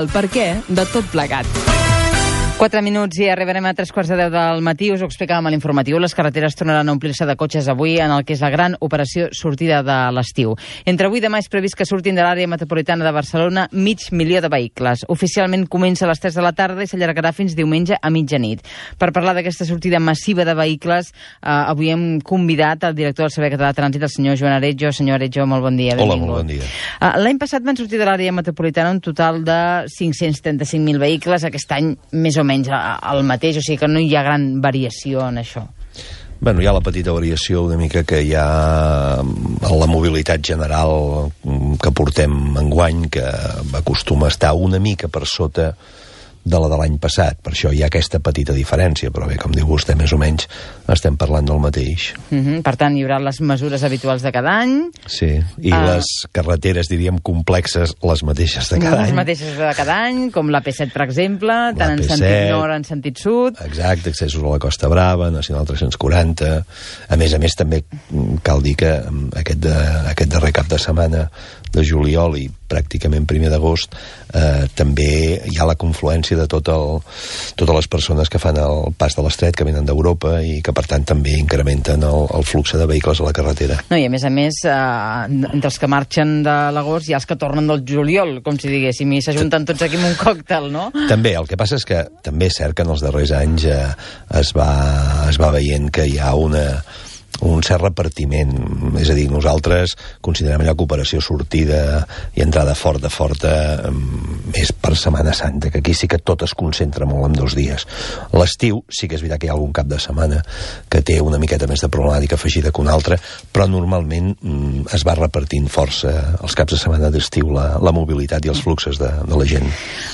el perquè de tot plegat. 4 minuts i arribarem a 3:15 del matí. Us ho explicàvem a l'informatiu. Les carreteres tornaran a omplir-se de cotxes avui en el que és la gran operació sortida de l'estiu. Entre avui i demà és previst que surtin de l'àrea metropolitana de Barcelona 500.000 de vehicles. Oficialment comença a les 3 de la tarda i s'allargarà fins diumenge a mitjanit. Per parlar d'aquesta sortida massiva de vehicles, avui hem convidat el director del Servei Català de Trànsit, el senyor Joan Aretjo. Senyor Aretjo, molt bon dia. Hola, molt bon dia. L'any passat van sortir de l'àrea metropolitana un total de 535.000 vehicles. Aquest any, més o menys el mateix, o sigui que no hi ha gran variació en això. Bueno, hi ha la petita variació una mica que hi ha en la mobilitat general que portem enguany, que acostuma a estar una mica per sota de la de l'any passat. Per això hi ha aquesta petita diferència, però bé, com diu vostè, més o menys estem parlant del mateix. Per tant, hi haurà les mesures habituals de cada any. Sí, i les carreteres, diríem, complexes, les mateixes de cada any. Les mateixes de cada any, com la P7, per exemple, tant en sentit nord en sentit sud. Exacte, accessos a la Costa Brava, Nacional 340. A més, també cal dir que aquest darrer cap de setmana de juliol i pràcticament 1 d'agost també hi ha la confluència de totes les persones que fan el pas de l'Estret, que venen d'Europa i que, per tant, també incrementen el flux de vehicles a la carretera. No, i a més, entre els que marxen de l'agost hi ha els que tornen del juliol, com si diguéssim, i s'ajunten tots aquí amb un còctel, no? També, el que passa és que també és cert que en els darrers anys es va veient que hi ha un cert repartiment. És a dir, nosaltres considerem allò que operació sortida i entrada forta és per Setmana Santa, que aquí sí que tot es concentra molt en 2 dies. L'estiu sí que és veritat que hi ha algun cap de setmana que té una miqueta més de problemàtica afegida que una altra, però normalment es va repartint força els caps de setmana d'estiu la mobilitat i els fluxos de la gent.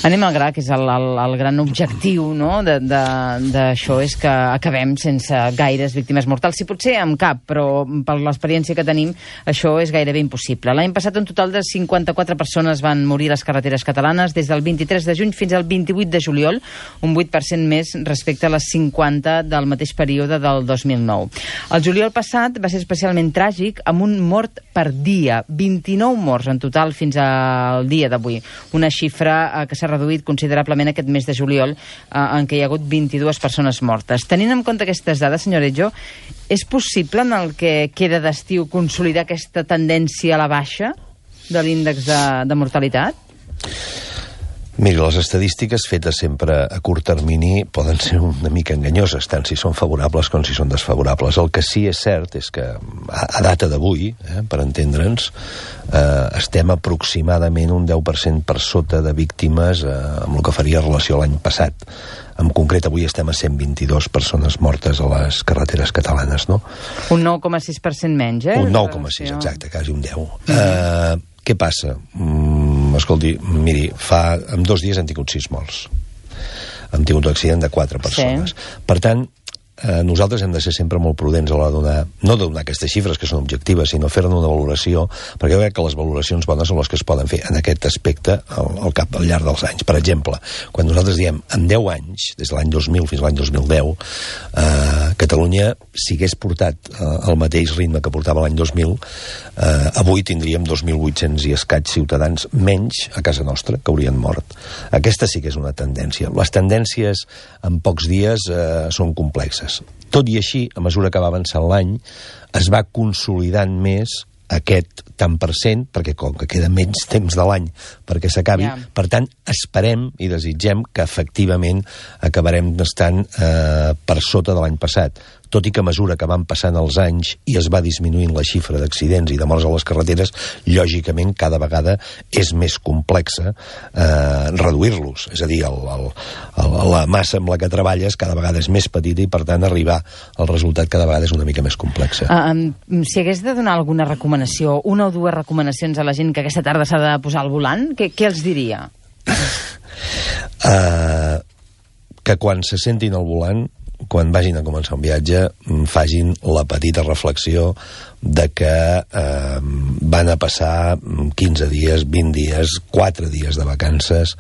Anem al gra, que és el gran objectiu, no?, d'això, és que acabem sense gaires víctimes mortals. Si potser amb cap, però per l'experiència que tenim això és gairebé impossible. L'any passat un total de 54 persones van morir a les carreteres catalanes des del 23 de juny fins al 28 de juliol, un 8% més respecte a les 50 del mateix període del 2009. El juliol passat va ser especialment tràgic, amb un mort per dia, 29 morts en total fins al dia d'avui, una xifra que s'ha reduït considerablement aquest mes de juliol, en què hi ha hagut 22 persones mortes. Tenint en compte aquestes dades, senyor Aretjo, és possible en el que queda d'estiu consolidar aquesta tendència a la baixa de l'índex de mortalitat? Miri, les estadístiques fetes sempre a curt termini poden ser una mica enganyoses, tant si són favorables com si són desfavorables. El que sí és cert és que a data d'avui, per entendre'ns, estem aproximadament un 10% per sota de víctimes amb el que faria relació a l'any passat. En concret, avui estem a 122 persones mortes a les carreteres catalanes, no? Un 9,6% menys, Un 9,6, exacte, quasi un 10. Què passa? Escolti, miri, en 2 dies hem tingut 6 morts. Hem tingut un accident de 4 persones. Sí. Per tant, nosaltres hem de ser sempre molt prudents a l'hora de donar, no de donar aquestes xifres que són objectives, sinó fer-ne una valoració, perquè jo crec que les valoracions bones són les que es poden fer en aquest aspecte al llarg dels anys. Per exemple, quan nosaltres diem en 10 anys, des de l'any 2000 fins a l'any 2010, Catalunya, si hagués portat el mateix ritme que portava l'any 2000, avui tindríem 2.800 i escaig ciutadans menys a casa nostra que haurien mort. Aquesta sí que és una tendència. Les tendències en pocs dies són complexes. Tot i així, a mesura que va avançant l'any, es va consolidant més aquest tant per cent, perquè com que queda menys temps de l'any perquè s'acabi, per tant, esperem i desitgem que efectivament acabarem estant per sota de l'any passat. Tot i que a mesura que van passant els anys i es va disminuint la xifra d'accidents i de morts a les carreteres, lògicament cada vegada és més complexa reduir-los. És a dir, la massa amb la que treballes cada vegada és més petita i, per tant, arribar al resultat cada vegada és una mica més complexa. Si hagués de donar alguna recomanació, 1 o 2 recomanacions a la gent que aquesta tarda s'ha de posar al volant, què els diria? Que quan se sentin al volant, quan vagin a començar un viatge, facin la petita reflexió de que van a passar 15 dies, 20 dies, 4 dies de vacances,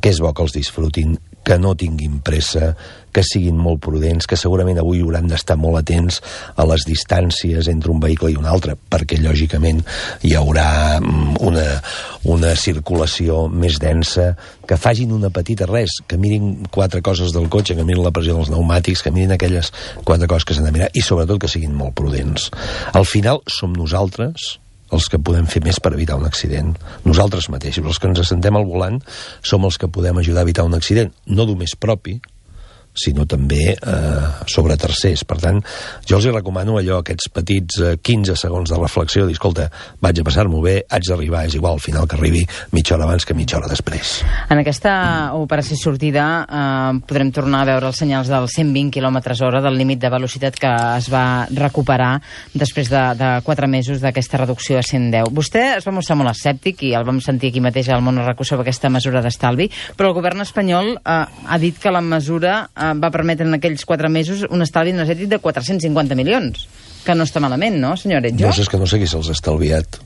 que és bo que els disfrutin, que no tinguin pressa, que siguin molt prudents, que segurament avui hauran d'estar molt atents a les distàncies entre un vehicle i un altre, perquè lògicament hi haurà una circulació més densa, que facin una petita res, que mirin 4 coses del cotxe, que mirin la pressió dels pneumàtics, que mirin aquelles 4 coses que s'han de mirar, i sobretot que siguin molt prudents. Al final som nosaltres els que podem fer més per evitar un accident. Nosaltres mateixos, els que ens assentem al volant, som els que podem ajudar a evitar un accident, no només propi, sinó també sobre tercers. Per tant, jo els recomano allò, aquests petits 15 segons de reflexió, dir, escolta, vaig a passar-m'ho bé, haig d'arribar, és igual, al final que arribi mitja hora abans que mitja hora després. En aquesta operació sortida podrem tornar a veure els senyals dels 120 km/h del límit de velocitat que es va recuperar després de 4 mesos d'aquesta reducció a 110. Vostè es va mostrar molt escèptic i el vam sentir aquí mateix al Món RAC1 sobre aquesta mesura d'estalvi, però el govern espanyol ha dit que la mesura va permetre en aquells 4 mesos un estalvi energètic de 450 milions, que no està malament, no, senyor Aretjo? No, és que no sé qui se'ls ha estalviat.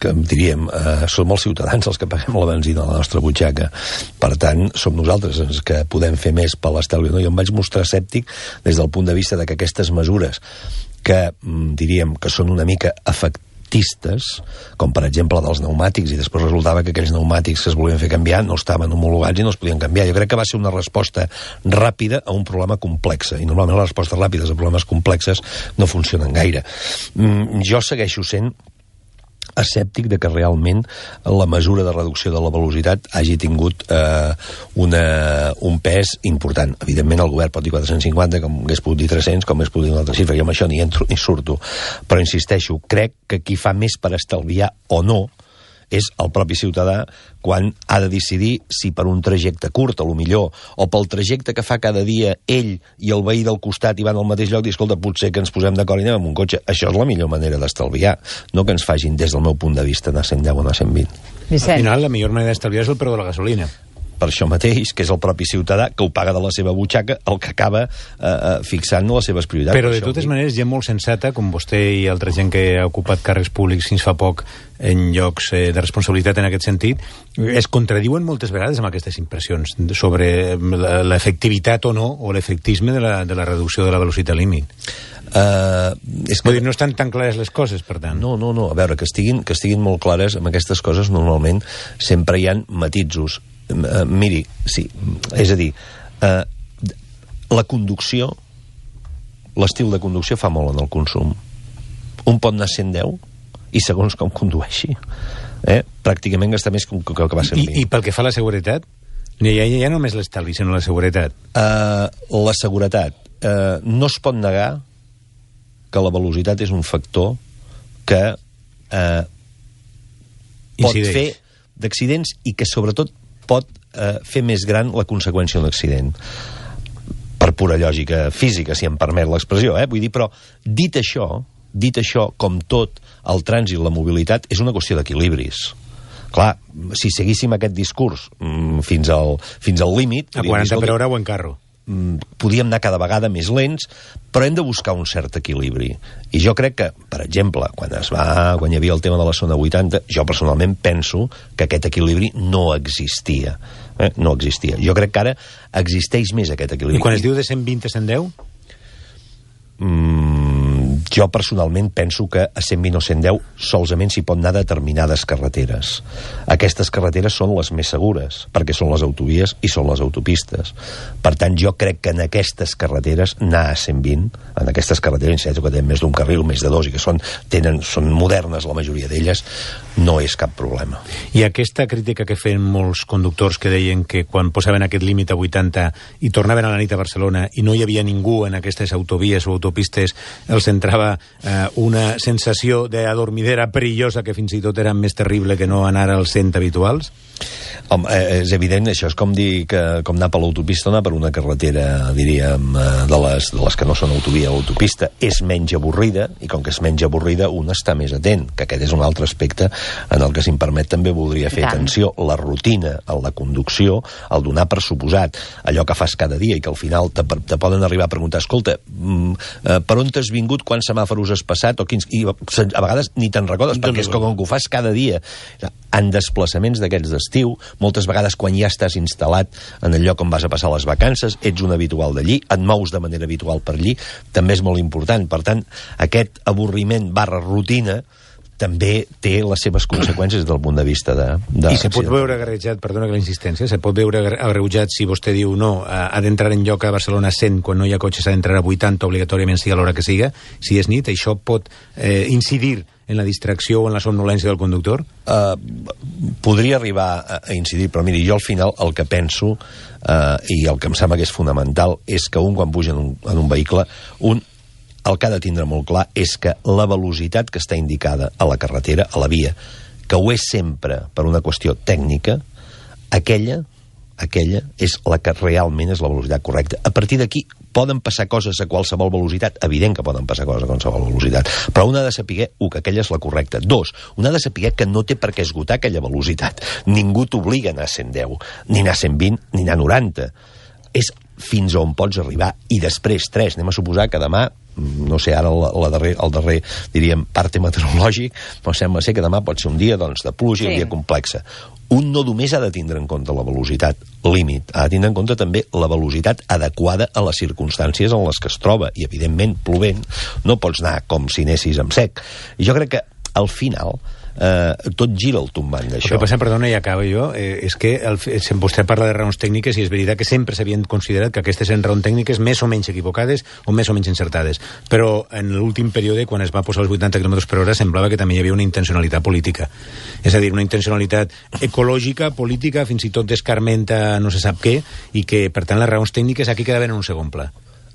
Que diríem, som els ciutadans els que paguem la benzina a la nostra butxaca. Per tant, som nosaltres els que podem fer més per l'estalvi. No? Jo em vaig mostrar escèptic des del punt de vista de que aquestes mesures que diríem que són una mica efectives, com per exemple dels pneumàtics, i després resultava que aquells pneumàtics que es volien fer canviar no estaven homologats i no es podien canviar. Jo crec que va ser una resposta ràpida a un problema complex, i normalment les respostes ràpides a problemes complexes no funcionen gaire. Jo segueixo sent escèptic de que realment la mesura de reducció de la velocitat hagi tingut un pes important. Evidentment el govern pot dir 450, com hagués pogut dir 300, com hagués pogut dir una altra xifra, i amb això ni entro ni surto. Però insisteixo, crec que qui fa més per estalviar o no és el propi ciutadà quan ha de decidir si per un trajecte curt, a lo millor, o pel trajecte que fa cada dia ell i el veí del costat i van al mateix lloc, i escolta, potser que ens posem d'acord i anem amb un cotxe. Això és la millor manera d'estalviar, no que ens facin, des del meu punt de vista, anar a 110 o anar a 120. Vicent. Al final, la millor manera d'estalviar és el preu de la gasolina. Per això mateix, que és el propi ciutadà que ho paga de la seva butxaca, el que acaba fixant les seves prioritats. Però de totes maneres, gent molt sensata, com vostè i altra gent que ha ocupat càrrecs públics fins fa poc en llocs de responsabilitat en aquest sentit, es contradiuen moltes vegades amb aquestes impressions sobre l'efectivitat o no, o l'efectisme de la reducció de la velocitat límit. Vull dir, no estan tan clares les coses, per tant. No. A veure, que estiguin molt clares amb aquestes coses, normalment sempre hi ha matisos. Miri, sí, és a dir, la conducció, l'estil de conducció fa molt en el consum. Un pot anar a 110 i segons com condueixi, pràcticament gasta més que el que va servir. I pel que fa a la seguretat? Ja no només l'estalvi, sinó la seguretat. La seguretat. No es pot negar que la velocitat és un factor que pot fer d'accidents i que sobretot pot fer més gran la conseqüència d'un accident. Per pura lògica física, si em permet l'expressió, vull dir, però dit això, com tot, el trànsit, la mobilitat, és una qüestió d'equilibris. Clar, si seguíssim aquest discurs fins al límit... A 40 per hora o en carro. Podíem anar cada vegada més lents, però hem de buscar un cert equilibri. I jo crec que, per exemple, quan hi havia el tema de la zona 80, jo personalment penso que aquest equilibri no existia. No existia. Jo crec que ara existeix més aquest equilibri. I quan es diu de 120 a 110? Jo personalment penso que a 120 o 110 solament s'hi pot anar a determinades carreteres. Aquestes carreteres són les més segures, perquè són les autovies i són les autopistes. Per tant, jo crec que en aquestes carreteres anar a 120, en aquestes carreteres que tenen més d'un carril, més de dos, i que són modernes la majoria d'elles, no és cap problema. I aquesta crítica que feien molts conductors que deien que quan posaven aquest límit a 80 i tornaven a la nit a Barcelona i no hi havia ningú en aquestes autovies o autopistes, els entrava una sensació d'adormidera perillosa que fins i tot era més terrible que no anar als 100 habituals? Home, és evident, això és com dir que com anar per l'autopista o anar per una carretera, diríem, de les que no són autovia o autopista. És menys avorrida, i com que és menys avorrida, un està més atent, que aquest és un altre aspecte en el que, si em permet, també voldria fer atenció. La rutina, la conducció, el donar per suposat, allò que fas cada dia i que al final te poden arribar a preguntar, escolta, per on t'has vingut, quants semàforos has passat, i a vegades ni te'n recordes, perquè és com que ho fas cada dia. En desplaçaments d'aquests d'estiu, moltes vegades quan ja estàs instal·lat en el lloc on vas a passar les vacances, ets un habitual d'allí, et mous de manera habitual per allí, també és molt important. Per tant, aquest avorriment / rutina també té les seves conseqüències des del punt de vista de I se pot veure agreujat, perdona que la insistència, se pot veure agreujat si vostè diu no, ha d'entrar en lloc a Barcelona 100 quan no hi ha cotxes, ha d'entrar a 80 obligatòriament, sigui a l'hora que siga, si és nit, això pot incidir en la distracció o en la somnolència del conductor? Podria arribar a incidir, però miri, jo al final el que penso, i el que em sembla que és fonamental, és que quan puja en un vehicle, el que ha de tindre molt clar és que la velocitat que està indicada a la carretera, a la via, que ho és sempre per una qüestió tècnica, aquella és la que realment és la velocitat correcta. A partir d'aquí poden passar coses a qualsevol velocitat, evident que poden passar coses a qualsevol velocitat, però un ha de saber, que aquella és la correcta. 2, un ha de saber que no té per què esgotar aquella velocitat. Ningú t'obliga a anar a 110, ni anar a 120, ni anar a 90. És fins on pots arribar. I després, 3, anem a suposar que demà, no sé, ara el darrer, diríem, parte meteorològic, però sembla ser que demà pot ser un dia de pluja, un dia complexa. Un no només ha de tindre en compte la velocitat límit, ha de tindre en compte també la velocitat adequada a les circumstàncies en les que es troba, i evidentment, plovent, no pots anar com si anessis amb sec. I jo crec que, al final, tot gira al tombant d'això. El que passa, perdona, i acaba jo, és que vostè parla de raons tècniques i és veritat que sempre s'havien considerat que aquestes eren raons tècniques més o menys equivocades o més o menys encertades, però en l'últim període, quan es va posar els 80 km per hora, semblava que també hi havia una intencionalitat política, és a dir, una intencionalitat ecològica, política, fins i tot d'escarmenta no se sap què, i que per tant les raons tècniques aquí quedaven en un segon pla.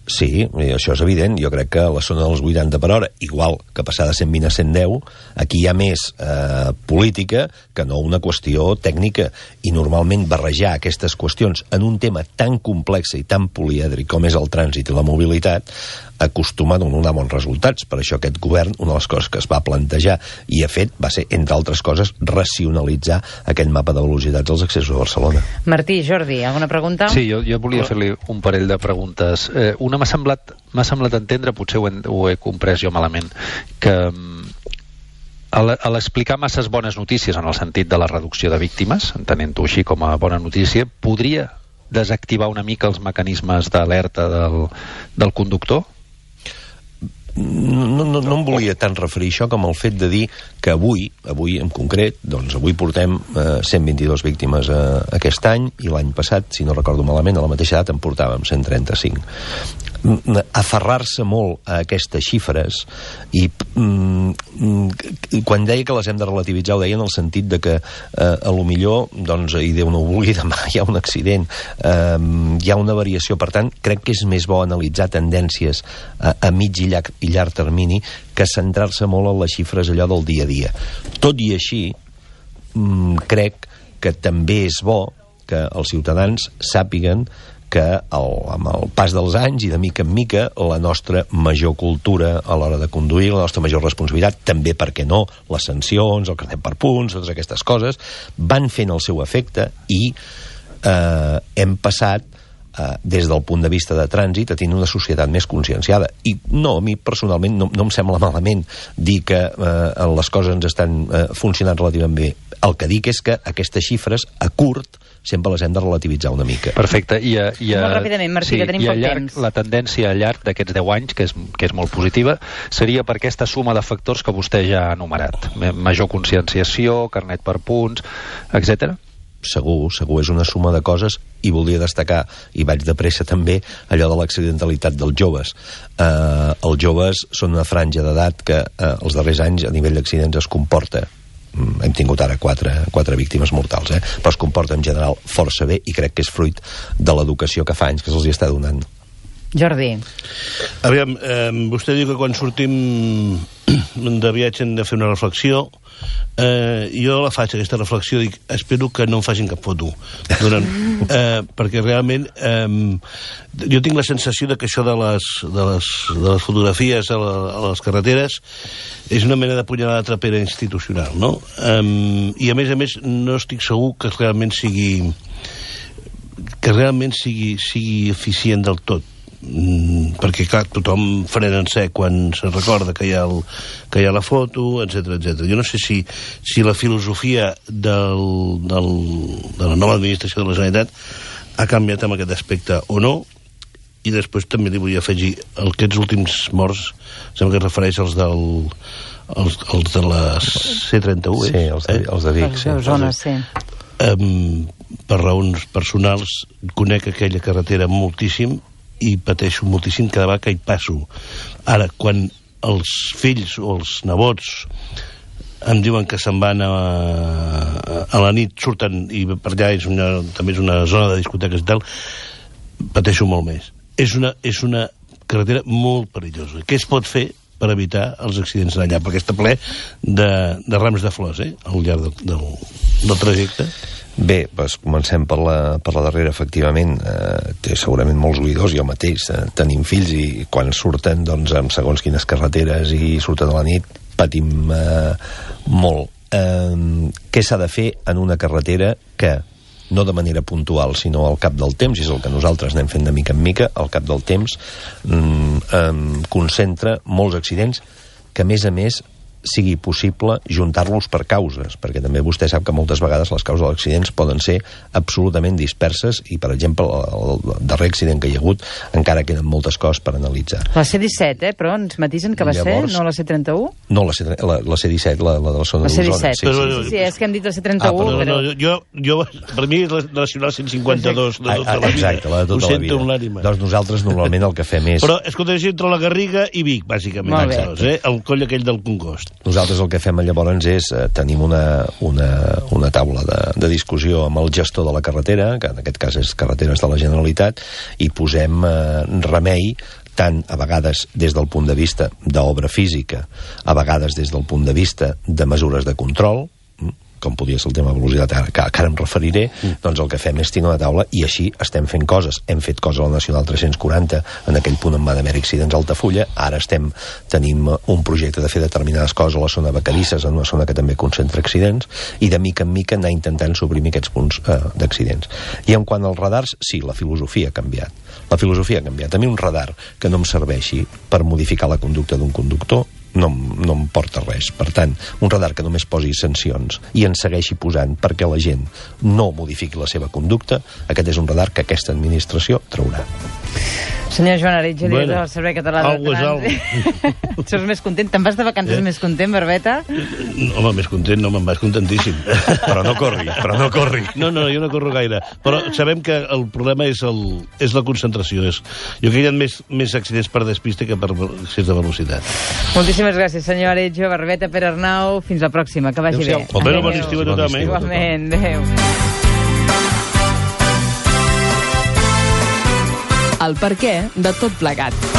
Sí, això és evident. Jo crec que a la zona dels 80 per hora, igual que passar de 120 a 110, aquí hi ha més política que no una qüestió tècnica. I normalment barrejar aquestes qüestions en un tema tan complex i tan polièdric com és el trànsit i la mobilitat acostuma a donar bons resultats. Per això aquest govern, una de les coses que es va plantejar i ha fet va ser, entre altres coses, racionalitzar aquell mapa de velocitats als accessos a Barcelona. Martí, Jordi, alguna pregunta? Sí, jo volia fer-li un parell de preguntes. Una m'ha semblat entendre, potser ho he comprès jo malament, que a l'explicar masses bones notícies en el sentit de la reducció de víctimes, entenent-ho així com a bona notícia, podria desactivar una mica els mecanismes d'alerta del conductor? No em volia tant referir això com el fet de dir que avui en concret, doncs avui portem 122 víctimes aquest any, i l'any passat, si no recordo malament, a la mateixa data en portàvem 135. Aferrar-se molt a aquestes xifres, i quan deia que les hem de relativitzar ho deia en el sentit de que a lo millor, doncs, i Déu no ho vulgui, demà hi ha un accident, hi ha una variació. Per tant, crec que és més bo analitzar tendències a mig i llarg termini que centrar-se molt en les xifres allò del dia a dia. Tot i així, crec que també és bo que els ciutadans sàpiguen que amb el pas dels anys i de mica en mica la nostra major cultura a l'hora de conduir, la nostra major responsabilitat, també, per què no, les sancions, el carnet per punts, totes aquestes coses, van fent el seu efecte i hem passat des del punt de vista de trànsit a tenir una societat més conscienciada. I no, a mi personalment no em sembla malament dir que les coses ens estan funcionant relativament bé. El que dic és que aquestes xifres a curt sempre les hem de relativitzar una mica. Perfecte. Molt ràpidament, Martí, que tenim poc temps. La tendència a llarg d'aquests 10 anys, que és molt positiva, seria per aquesta suma de factors que vostè ja ha enumerat. Major conscienciació, carnet per punts, etc. Segur, és una suma de coses, i volia destacar, i vaig de pressa també, allò de l'accidentalitat dels joves. Els joves són una franja d'edat que els darrers anys a nivell d'accidents es comporta, hem tingut ara 4 víctimes mortals, però es comporta en general força bé, i crec que és fruit de l'educació que fa anys que se'ls hi està donant. Jordi. Aviam, vostè diu que quan sortim de viatge hem de fer una reflexió. Jo la faig, aquesta reflexió, dic, espero que no em facin cap foto perquè realment jo tinc la sensació de que això de les fotografies a les carreteres és una mena de punyalada trapera institucional, no? I a més no estic segur que realment sigui eficient del tot. perquè, clar, tothom frena en sec quan se recorda que hi ha la foto, etc. Jo no sé si la filosofia de la nova administració de la Generalitat ha canviat en aquest aspecte o no, i després també li vull afegir aquests últims morts, sembla que es refereix als de la C31, sí, els de Vic, sí. Zones, sí. Per raons personals conec aquella carretera moltíssim i pateixo moltíssim cada vegada que hi passo. Ara, quan els fills o els nebots em diuen que se'n van a la nit, surten i per allà també és una zona de discoteques i tal, pateixo molt més. És una carretera molt perillosa. Què es pot fer per evitar els accidents d'allà? Perquè està ple de rams de flors, al llarg del trajecte. Bé, doncs comencem per la darrera, efectivament. Té segurament molts oïdors, jo mateix. Tenim fills i quan surten, doncs, amb segons quines carreteres i surten a la nit, patim molt. Què s'ha de fer en una carretera que, no de manera puntual, sinó al cap del temps, i és el que nosaltres anem fent de mica en mica, al cap del temps concentra molts accidents que, a més, sigui possible juntar-los per causes, perquè també vostè sap que moltes vegades les causes dels accidents poden ser absolutament disperses i, per exemple, el darrer accident que hi ha hagut encara queden moltes coses per analitzar. La C-17, però ens matisen que va ser, no la C-31? No, la C-17, la de la zona d'Osona. Sí, és que hem dit la C-31, però... Jo, per mi és la Nacional 152 de tota la vida. Exacte, la de tota la vida. Doncs nosaltres normalment el que fem és... Però, escolta, és entre la Garriga i Vic, bàsicament. El coll aquell del Congost. Nosaltres el que fem llavors és tenim una taula de discussió amb el gestor de la carretera, que en aquest cas és Carreteres de la Generalitat, i posem remei tant a vegades des del punt de vista d'obra física, a vegades des del punt de vista de mesures de control, com podia ser el tema de velocitat, que ara em referiré, doncs el que fem és tenir una taula i així estem fent coses. Hem fet coses a la Nacional 340, en aquell punt on va haver accidents a Altafulla, ara tenim un projecte de fer determinades coses a la zona de Vacarisses, en una zona que també concentra accidents, i de mica en mica anar intentant suprimir aquests punts d'accidents. I en quant als radars, sí, la filosofia ha canviat. La filosofia ha canviat. A mi un radar que no em serveixi per modificar la conducta d'un conductor no em porta res. Per tant, un radar que només posi sancions i en segueixi posant perquè la gent no modifiqui la seva conducta, aquest és un radar que aquesta administració traurà. Senyor Joan Aretge, director del Servei Català de Trànsit. Ets més content? Te'n vas de vacances més content, Barbeta? Home, més content no me'n vas, contentíssim. Però no corri. No, jo no corro gaire. Però sabem que el problema és la concentració. Jo crec que hi ha més accidents per despiste que per excés de velocitat. Moltíssimes gràcies, senyor Aretge, Barbeta, Pere Arnau. Fins la pròxima, que vagi bé. Bon estiu a tothom. Igualment, adéu. El perquè de tot plegat.